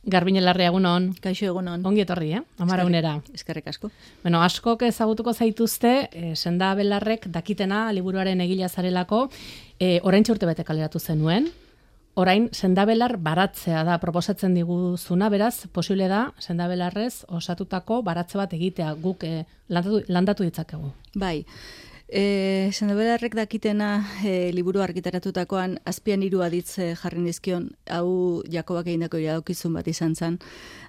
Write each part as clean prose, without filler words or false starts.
Garbine Larrea, egunon. Kaixo, egunon. Ongi etorri, Amaraunera. Eskerrik asko. Bueno, askok ezagutuko zaituzte, Senda Belarrek dakitena liburuaren egila zarelako, oraintxe urtebete kaleratu zenuen. Orain, Senda Belar baratzea da proposatzen diguzuna, beraz, posible da, Senda Belarrez osatutako baratze bat egitea, guk landatu ditzakegu. Bai. Senda Belarrek dakitena liburu argitaratutakoan azpian 3 aditz jarri nizkion, hau Jakobak egindako iradokizun bat izan zen,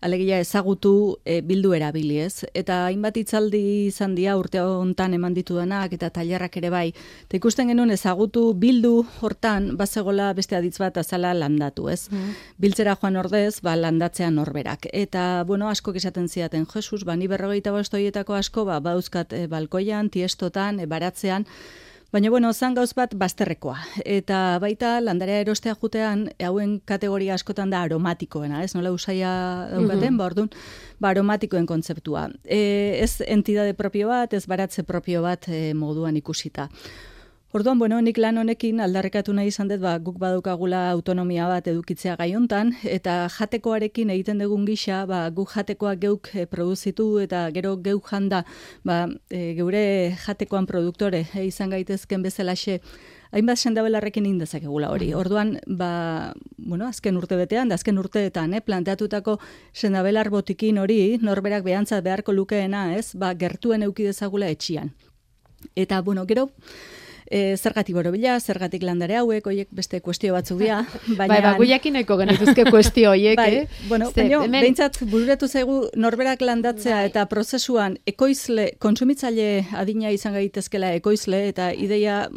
alegia ezagutu bildu erabili, ez? Eta hainbat hitzaldi izan dira urte hontan eman ditudanak eta tailerrak ere bai. Eta ikusten genuen ezagutu bildu hortan bazegola beste aditz bat azala landatu, ez? Biltzera joan ordez, landatzea norberak. Eta, bueno, asko esaten zidaten, Jesus, ni 45 horietako asko, bauzkat balkoian, tiestotan, baratzean, baina, bueno, zan gauz bat bazterrekoa. Eta baita landarea erostea jutean, hauen kategoria askotan da aromatikoena, ez? Nola usaia daukaten, orduan, aromatikoen kontzeptua. Ez entidade propio bat, ez baratze propio bat moduan ikusita. Orduan, bueno, nik lan honekin aldarrekatu nahi izan dut, guk badaukagula autonomia bat edukitzea gai hontan, eta jatekoarekin egiten dugun gisa, guk jatekoak geuk produzitu eta gero geuk janda, geure jatekoan produktore izan gaitezken bezalaxe, hainbat Senda Belarrekin indezakegula hori. Orduan, azken urtebetean, azken urteetan, planteatutako Senda Belar botikin hori, norberak behantzat beharko lukeena, ez, gertuen eduki dezagula etxian. Eta, bueno, gero, zergatik borobila, zergatik landare hauek, oiek beste kuestio batzuk dira. Guiakin nahiko genituzke kuestio oiek, behintzat bururetu zaigu norberak landatzea eta prozesuan ekoizle, kontsumitzaile adina izan gaitezkela ekoizle eta ideia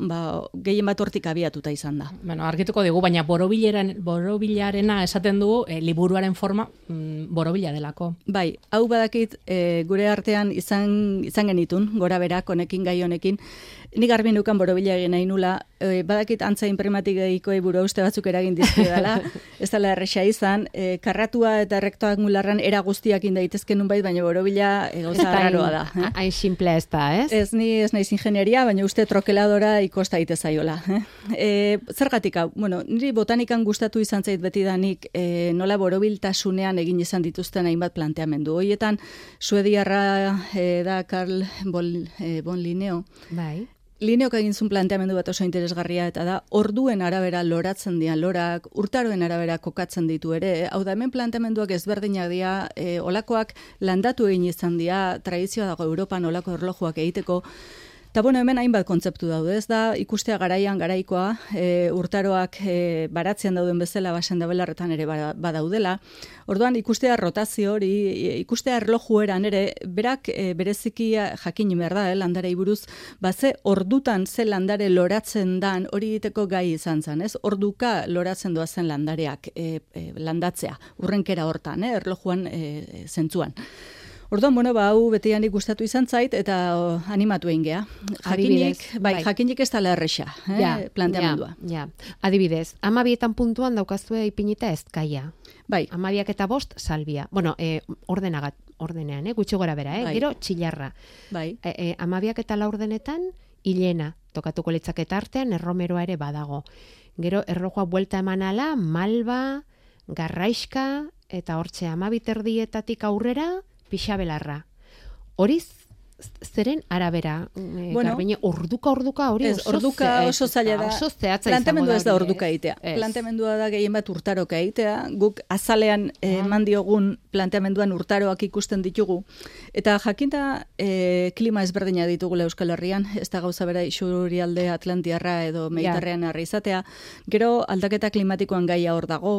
gehien bat hortik abiatuta izan da. Bueno, argituko digu, baina borobilarena esaten dugu liburuaren forma borobila delako. Bai, hau badakit gure artean izan genitun, gora berak, honekin gai honekin, nik garbi nukan borobila egin nahi nula, badakit antza imprimatik egiko buru uste batzuk eragin dizkiedala, ez dela erresa izan, karratua eta rektangularran era guztiak indaitezken nunbait, baina borobila gauza raroa da. Hain simplea ez da, ez? Ez naiz ingenieria, baina uste trokeladora ikosta itezaiola. Zergatik hau, niri botanikan gustatu izan zait beti danik nola borobiltasunean egin izan dituzten hainbat planteamendu. Hoietan, suediarra da Carl von Linneo. Bai. Lineok egin zuen planteamendu bat oso interesgarria eta da, orduen arabera loratzen dian lorak, urtaroen arabera kokatzen ditu ere, hau da hemen planteamenduak ezberdinak dira, olakoak landatu egin izan dira, tradizioa dago Europan olako erlojuak egiteko, eta hemen hainbat kontzeptu daude, ez da, ikustea garaikoa, urtaroak baratzean dauden bezala Senda Belarretan ere badaudela. Orduan, ikustea rotazio hori, ikustea erloju eran ere, berak bereziki jakin behar da, landarei buruz, ze ordutan ze landare loratzen dan hori egiteko gai izan zen, ez? Orduka loratzen doazen landareak landatzea, urrenkera hortan, erlojuan zentzuan. Orduan, hau betianik gustatu izan zait eta animatu egin geha. Jakinik ez dela erresa, planteamendua. Adibidez, 12 puntuan daukazue ipinita ezkaia. Bai. 12 eta 5 salbia. Bueno, ordenean, gutxi gora bera, gero txilarra. Bai. 12 eta 4 ordenetan hilena, tokatuko litzaketa artean erromeroa ere badago. Gero erlojoa buelta emanala, malba, garraiska, eta hortxe 12 erdietatik aurrera, Pixabelarra. Hori zeren arabera, Garbine, orduka hori oso zaila da. Oso zehatza planteamendu ez da orduka egitea. Planteamendua da gehien bat urtaroka egitea. Guk azalean eman diogun planteamenduan urtaroak ikusten ditugu. Eta jakinta klima ezberdina ditugula Euskal Herrian, ez da gauza bera isurialde Atlantiarra edo Mediterranearra izatea. Gero aldaketa klimatikoan gaia hor dago,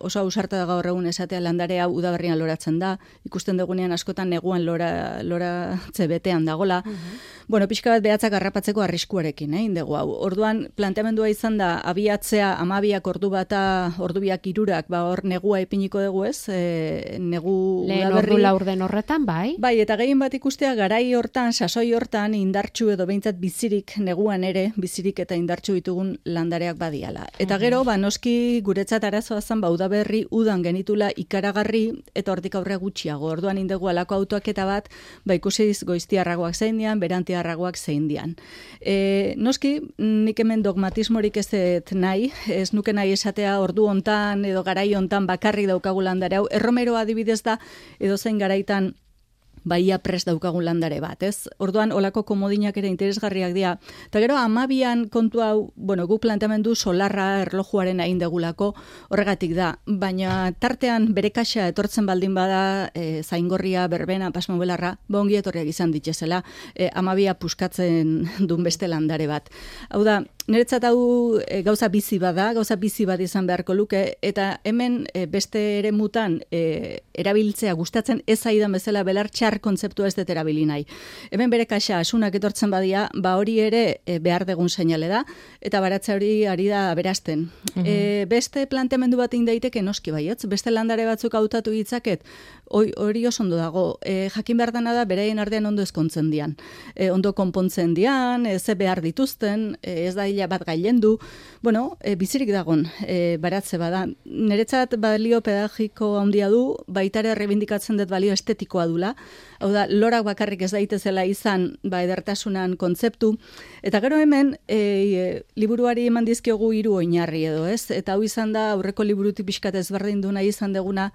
oso ausarta da gaur egun esatea landarea udaberrian loratzen da, ikusten dugunean askotan neguan loratze betean dagola. Pixka bat behatzak harrapatzeko arriskuarekin, indegu hau. Orduan, planteamendua izan da, abiatzea 12 ordu bata, ordubiak 3, hor negua ipiniko dugu ez, negu lehen ordu laurden horretan, bai? Bai, eta gehien bat ikustea, garai hortan, sasoi hortan, indartsu edo behintzat bizirik neguan ere, bizirik eta indartsu ditugun landareak badiala. Eta gero, noski guretzat arazoa zen, udaberri udan genitula ikaragarri, eta hortik aurre gutxiago. Orduan indegu alako autoak eta bat, ikusi gutxiz goiztiarragoak zein dian, berantiarragoak zein dian. Noski, nik hemen dogmatismorik ez nahi, ez nuke nahi esatea ordu hontan edo garai hontan bakarrik daukagu landare hau. Erromeroa adibidez da, edo zein garaitan baia prest daukagun landare bat, ez? Orduan, olako komodinak ere interesgarriak dira. Eta gero, 12an kontu hau, guk planteamendu solarra erlojuaren hain degulako, horregatik da. Baina tartean bere kaxa etortzen baldin bada, zaingorria, berbena, pasmobelarra, ongi etorriak izan ditezela, 12a puskatzen duen beste landare bat. Hau da, niretzat hau gauza bizi bada, gauza bizi bat izan beharko luke, eta hemen beste ere mutan erabiltzea gustatzen ez zaidan bezala belar txar kontzeptua ez dut erabili nahi. Hemen bere kaxa asunak etortzen badia, hori ere behar degun seinale da, eta baratza hori ari da berazten. Beste planteamendu bat daiteke noski baietz, beste landare batzuk hautatu ditzaket, hori oso ondo dago. Jakin behar dena da, beraien artean ondo ezkontzen dian. Ondo konpontzen dian, ze behar dituzten, ez da hila bat gailendu, bizirik dagon baratze bada. Niretzat balio pedagogiko handia du, baitare rebindikatzen dut balio estetikoa dula. Hau da, lorak bakarrik ez daitezela izan edertasunan kontzeptu. Eta gero hemen, liburuari eman dizkiogu 3 oinarri edo, ez? Eta hau izan da, aurreko liburutik pixkat ezberdin duna izan deguna,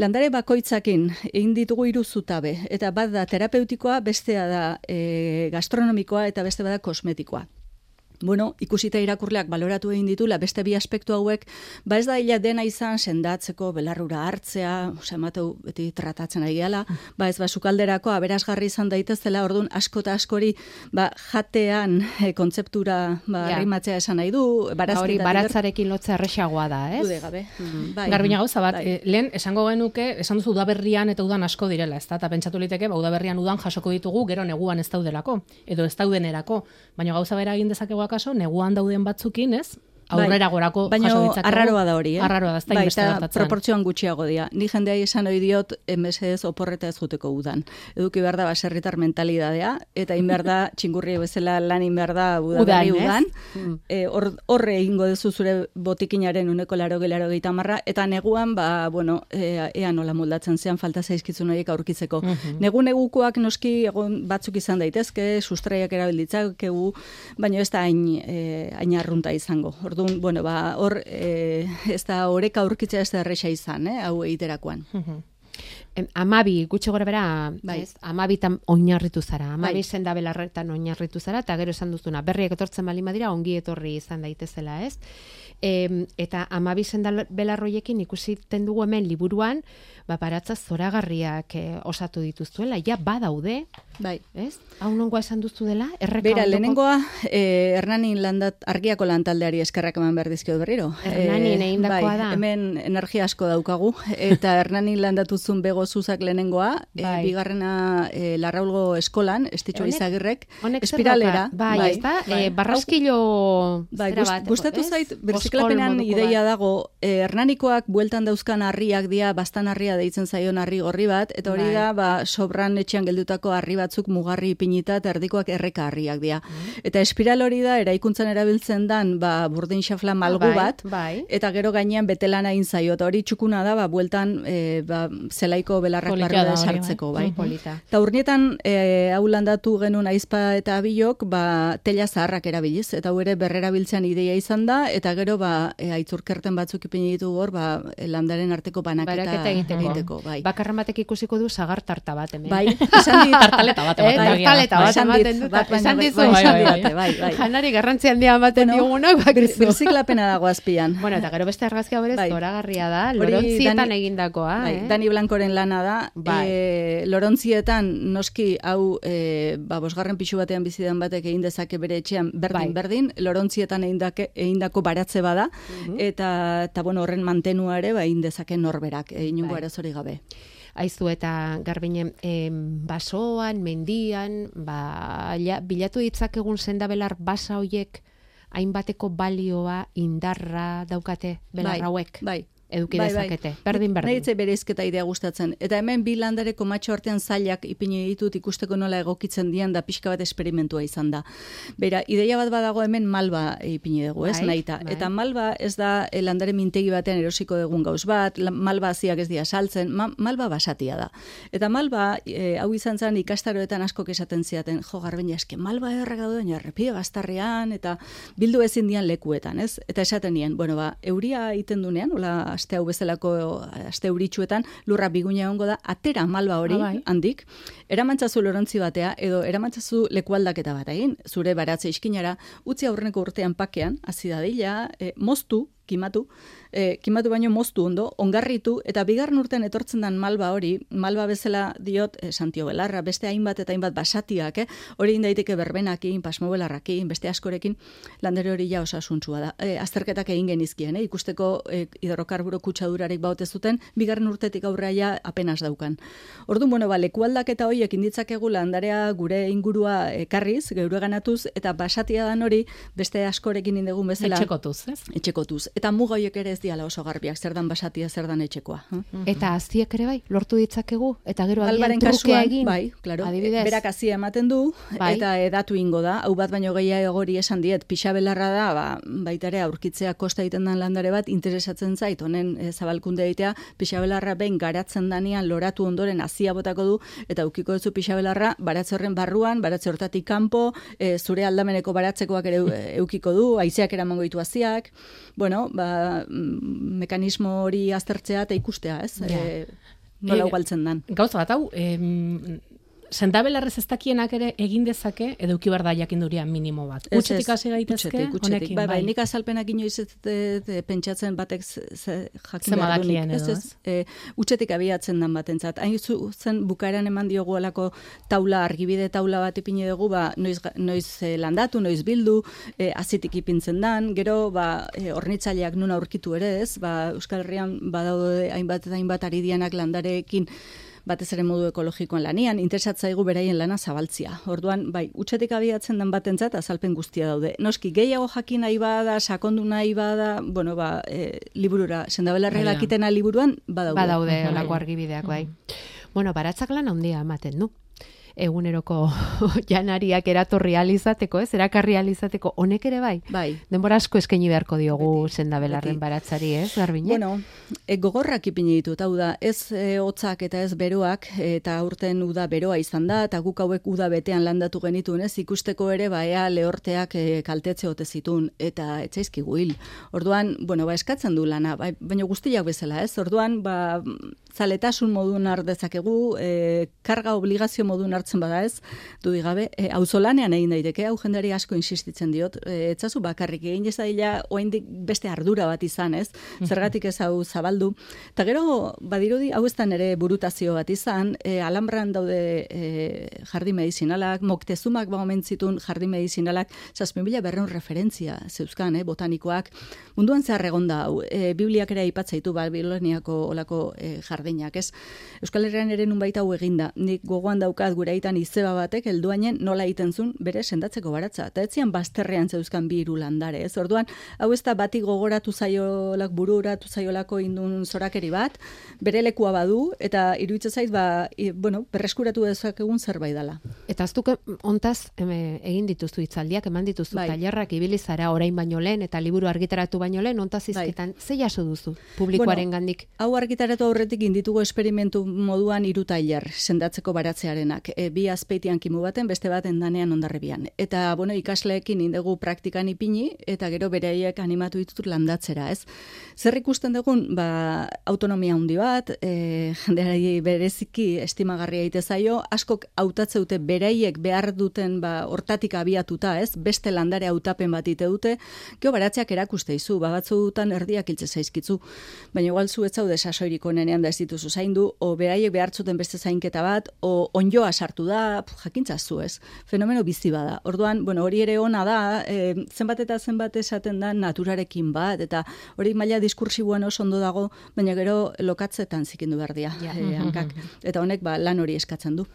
landare bakoitzakin egin ditugu 3 zutabe, eta bat da terapeutikoa, bestea da gastronomikoa eta beste bada kosmetikoa. Ikusita irakurleak baloratu egin ditula beste bi aspektu hauek, ez da hila dena izan sendatzeko, belarrura hartzea, emateu beti tratatzen ari gehala, ez sukalderako aberasgarri izan daitezela, orduan asko eta askori jatean kontzeptura arrimatzea esan nahi du. Hori baratzarekin lotzea erresagoa da, ez? Dude gabe. Garbina gauza bat, lehen esango genuke, esan duzu udaberrian eta udan asko direla, ez da? Eta pentsatu liteke, udaberrian udan jasoko ditugu, gero neguan ez daudelako, edo ez daudenerako, baina gauza bera egin dezakegu akaso, neguan dauden batzukin, ez? Aurrera gorako jaso ditzakegu. Baina arraroa da hori, Arraroa da, ez da inbeste gertatzen. Eta proportzioan gutxiago dira. Ni jendea esan ohi diot, mesedez oporreta ez juteko udan. Eduki behar da baserritar mentalidadea, eta behar da txingurri bezala lan behar da udan. Horre egingo duzu zure botikinaren 180 marra, eta neguan, ea nola moldatzen zean falta zaizkitzun horiek aurkitzeko. Negukoak noski egon batzuk izan daitezke, sustraiak erabilditzakegu, baina ez da hain arrunta izango. Hor ez da oreka aurkitzea ez da erresa izan, hau egiterakoan. 12 gutxi gora bera, 12tan oinarritu zara, 12 sendabelarretan oinarritu zara, eta gero esan duzuna, berriak etortzen baldin badira, ongi etorri izan daitezela, ez? Eta 12 sendabelarroiekin ikusiten dugu hemen liburuan, baratza zoragarriak osatu dituztuela, ja badaude, ez? Hau nongoa esan duzu dela? Bera, lehenengoa, Hernanin argiako lantaldeari eskerrak eman behar dizkio berriro. Hernanin egindakoa da. Hemen energia asko daukagu, eta Hernanin landatuzun bego zuzak lehenengoa, bigarrena Larraulgo eskolan, Estitxo Izagirrek, espiralera. Ez da, barraskilo zera bat. Gustatu zait, berziklapenean ideia dago, Hernanikoak bueltan dauzkan harriak dira, bastan harria deitzen zaion harri gorri bat, eta hori da, sobran etxean geldutako harri batzuk mugarri ipinita, eta erdikoak erreka harriak dira. Eta espiral hori da, eraikuntzan erabiltzen dan, burdin xafla malgu bat, eta gero gainean betelana egin zaio, eta hori txukuna da, bueltan zelaiko belarrak barruda sartzeko, bai. Eta urnietan, hau landatu genuen aizpa eta abilok, tela zaharrak erabiliz, eta hau ere berrerabiltzean ideia izan da, eta gero, aitzurkerten batzuk ipini ditu hor, landaren arteko banaketa egiteko, bai. Bakarren batek ikusiko du sagar tarta bat, hemen. Bai, esan dit. Tartaleta bat. Tartaleta bat ematen dut. Esan dizu. Janari garrantzi handia ematen diogunok, bakizu. Birziklapena dago azpian. Bueno, eta gero beste argazkia berez zoragarria da, Lorontzietan egindakoa. Dani Blancoren lana da. Lorontzietan, noski, hau, bosgarren pixu batean bizidan batek egin dezake bere etxean berdin, Lorontzietan egindako baratze bada, eta horren mantenua ere, egin dezake norberak, inungo arazori gabe. Aizu eta Garbine, basoan, mendian, bilatu ditzakegun sendabelar basa hoiek hainbateko balioa, indarra daukate belar hauek. Bai. eduki dezakete. Berdin. Nahitzei bereizketa idea gustatzen. Eta hemen bi landare komatxo artean zailak ipini ditut ikusteko nola egokitzen dian da pixka bat esperimentua izan da. Bera, ideia bat badago hemen malba ipini dugu, ez nahita. Eta malba ez da landare mintegi batean erosiko dugun gauz bat, malba haziak ez dira saltzen, malba basatia da. Eta malba, hau izan zen ikastaroetan askok esaten ziaten, jo, Garbiña, eske malba errak dauden, errepide bastarrean, eta bildu ezin dian lekuetan, ez? Eta esaten nien, bueno, euria iten dunean, hola, aste hau bezalako, aste euritsuetan, lurra biguina egongo da, atera malba hori handik, eramantzazu lorontzi batea, edo eramantzazu lekualdaketa bat egin, zure baratze iskinara, utzi aurreneko urtean pakean, hasi dadila, moztu, kimatu baino moztu ondo, ongarritu, eta bigarren urtean etortzen den malba hori, malba bezala diot Santio Belarra, beste hainbat eta hainbat basatiak, hori indaiteke berbenakin, pasmo belarrakin, beste askorekin, landare hori ja osasuntsua da. Azterketak egin genizkien, ikusteko hidrokarburo kutsadurarik baute zuten, bigarren urtetik aurrera apenas daukan. Orduan, bueno, lekualdaketa horiek inditzakegu landarea gure ingurua ekarriz, geure ganatuz, eta basatia dan hori, beste askorekin indegun bezala. Etxekotuz, ez? Etxekotuz. Eta muga horiek ere ez diala oso garbiak, zer dan basatia, zer dan etxekoa. Eta aziek ere bai, lortu ditzakegu, eta gero agian trukea egin. Bai, claro. Adibidez. Berak azia ematen du, eta edatu ingo da. Hau bat baino gehiago hori esan diet, pixabelarra da, baitare aurkitzea kosta egiten den landare bat, interesatzen zait, honen zabalkunde egitea, pixabelarra behin garatzen danean loratu ondoren azia botako du, eta ukiko duzu pixabelarra, baratze horren barruan, baratze hortatik kanpo, zure aldameneko baratzekoak ere eukiko du, haizeak eramango ditu aziak, bueno, mekanismo hori aztertzea eta ikustea, ez? Nola ugaltzen dan. Gauza bat, hau, sendabelarrez ez dakienak ere egin dezake, edo uki behar da jakinduria minimo bat. Utxetik hasi gaitezke, honekin, bai. Nik azalpenak inoiz pentsatzen batek jakin behar dunik. Utxetik abiatzen dan batentzat. Hain zen bukaeran eman diogu alako taula, argibide taula bat ipini dugu, noiz landatu, noiz bildu, azitik ipintzen dan, gero hornitzaileak nun aurkitu ere ez, Euskal Herrian badaude hainbat ari dianak landareekin batez ere modu ekologikoan lanian, interesatzaigu beraien lana zabaltzia. Orduan, bai, utxetik abiatzen den batentzat azalpen guztia daude. Noski, gehiago jakin nahi bada, sakondu nahi bada, bueno, liburura, sendabelarre dakitena liburuan, badaude. Badaude, olako argibideak, bai. Bueno, baratzak lan handia ematen du. Eguneroko janariak eratorri alizateko, erakarri alizateko, honek ere bai? Bai. Denbora asko eskaini beharko diogu sendabelarren baratzari, ez, Garbiñe? Bueno, gogorrak ipini ditut, hau da, ez hotzak eta ez beroak, eta aurten uda beroa izan da, eta guk hauek uda betean landatu genitun, ez, ikusteko ere, ea lehorteak kaltetze ote zitun, eta etzaizkigu hil. Orduan, bueno, eskatzen du lana, baina guztiak bezala, ez? Orduan, zaletasun modun ardezakegu, karga obligazio modun hartzen bada ez, dudigabe, auzolanean egin daiteke, hau jendari asko insistitzen diot, etzazu bakarrik egin ez daila oraindik beste ardura bat izan, ez? Zergatik ez hau zabaldu. Eta gero, badirudi, hau ez da nere burutazio bat izan, Alhambran daude jardin medizinalak, Moctezumak omentzitun jardin medizinalak, 7.200 referentzia zeuzkan, botanikoak, munduan zehar egonda hau, Bibliak ere aipatzaitu Babiloniako olako jardinak, ez? Euskal Herrian ere nunbait hau eginda, nik gogoan daukat gure aitan izeba batek helduainen nola egiten zuen bere sendatzeko baratza. Eta etzian bazterrean zeuzkan bi hiru landare, ez? Orduan, hau ez da bati gogoratu zaiolak bururatu zaiolako indun zorakeri bat, bere lekua badu, eta iruditzen zait, berreskuratu dezakegun zerbait dela. Eta aztuk ontaz egin dituzu hitzaldiak, eman dituzu tailerrak ibili zara orain baino lehen, eta liburu argitaratu baino lehen, ontaz izketan, ze jaso duzu publikoaren gandik? Hau argitaratu aurretik inditugu esperimentu moduan 3 tailer sendatzeko baratzearenak. Bi azpeitian kimu baten, beste baten danean Hondarribian. Eta, ikasleekin indegu praktikan ipini, eta gero beraiek animatu ditut landatzera, ez? Zer ikusten dugun, autonomia handi bat, jendeari bereziki estimagarria egite zaio, askok hautatzeute beraiek behar duten hortatik abiatuta, ez? Beste landare hautapen bat ite dute, gero baratzeak erakuste izu, batzuetan erdiak hiltze zaizkitzu, baina igual zu ez zaude sasoirik onenean da ez dituzu zaindu, o beraiek behartzuten beste zainketa bat, o onjoa sartu da, jakintzazu ez, fenomeno bizi bada. Orduan, bueno, hori ere ona da, zenbat eta zenbat esaten da naturarekin bat, eta hori maila diskursiboan oso ondo dago, baina gero lokatzetan zikindu behar dira, hankak. Eta honek lan hori eskatzen du.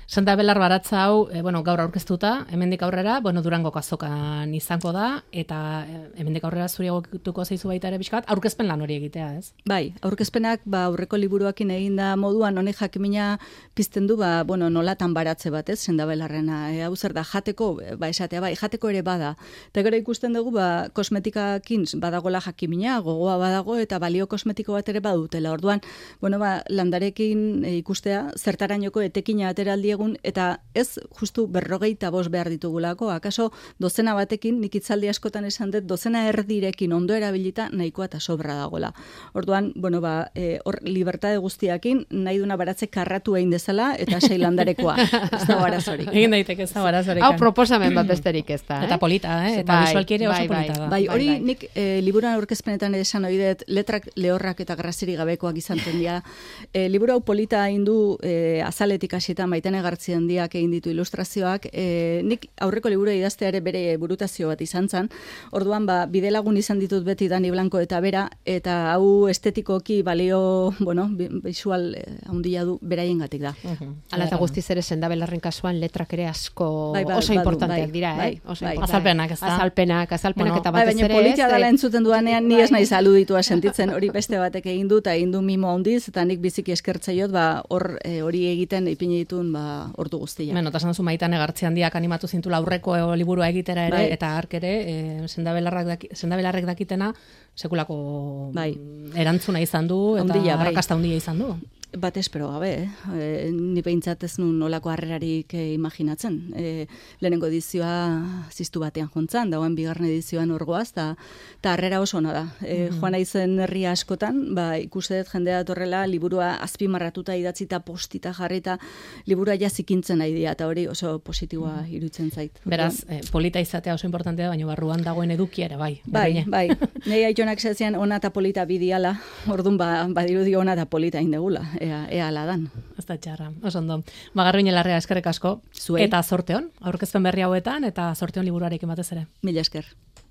Senda Belar baratza hau, gaur aurkeztuta, hemendik aurrera, Durangoko azokan izango da, eta hemendik aurrera zuri egokituko zaizu baita ere pixkat, aurkezpen lan hori egitea, ez? Bai, aurkezpenak aurreko liburuakin eginda moduan honek jakimina pizten du, nolatan baratze bat, ez, Senda Belarrena. Hau zer da, jateko, esatea, jateko ere bada. Eta gero ikusten dugu, kosmetikakin badagola jakimina, gogoa badago, eta balio kosmetiko bat ere badutela. Orduan, landarekin ikustea, zertarainoko etekina ateraldiegun, eta ez justu 45 behar ditugulako, akaso dozena batekin, nik itzaldi askotan esan dut, dozena erdirekin ondo erabilita nahikoa eta sobra dagoela. Orduan, hor libertade guztiakin, nahi duna baratze karratu egin dezala, eta sei landarekoa, ez da barazorik. Egin daiteke ez da barazorik. Hau proposamen bat besterik ez da, Eta polita, eta visualki ere oso polita da. Hori nik liburuan aurkezpenetan esan ohi dut, letrak lehorrak eta graziri gabekoak izanten dira. Liburu hau polita egin du azaletik hasietan Maitane Gartziendiak egin ditu ilustrazioak. Nik aurreko liburu idaztea ere bere burutazio bat izan zen. Orduan, bidelagun izan ditut beti Dani Blanco eta bera, eta hau estetikoki balio, visual handia du beraiengatik da. Hala eta guztiz ere Senda Belarren kasuan letrak ere asko oso importanteak dira, Azalpenak, ez da? Azalpenak eta batez ere ez. Baina politia dela entzuten duanean, ni ez naiz aluditua sentitzen, hori beste batek egin du, eta egin du mimo handiz, eta nik biziki eskertzaiot, hori egiten ipini ditun ordu guztia. Eta esan duzu Maitane Gartziendiak animatu zintula aurreko liburua egitera ere, eta hark ere, Senda Belarrek dakitena, sekulako erantzuna izan du, eta arrakasta handia izan du. Bat espero gabe, ni behintzat ez nun nolako harrerarik imaginatzen. Lehenengo edizioa ziztu batean jontzan, dagoen bigarren edizioan orgoaz, eta harrera oso ona da. Joan naizen herria askotan, ikuset jendea torrela, liburua azpimarratuta idatzita postita jarrita, liburua jazikintzen nahi dira, eta hori oso positiboa iruditzen zait. Beraz, polita izatea oso importantea, baina barruan dagoen edukia ere, bai. Bai. Nei aitonak zezian ona eta polita bidiala, orduan badirudi ona eta polita indegula. Ea aladan. Ez da txarra, oso ondo. Garbiñe Larrea, eskerrik asko. Zuei. Eta zorteon, aurkezpen berri hauetan, eta zorteon liburuarekin batez ere. Mila esker.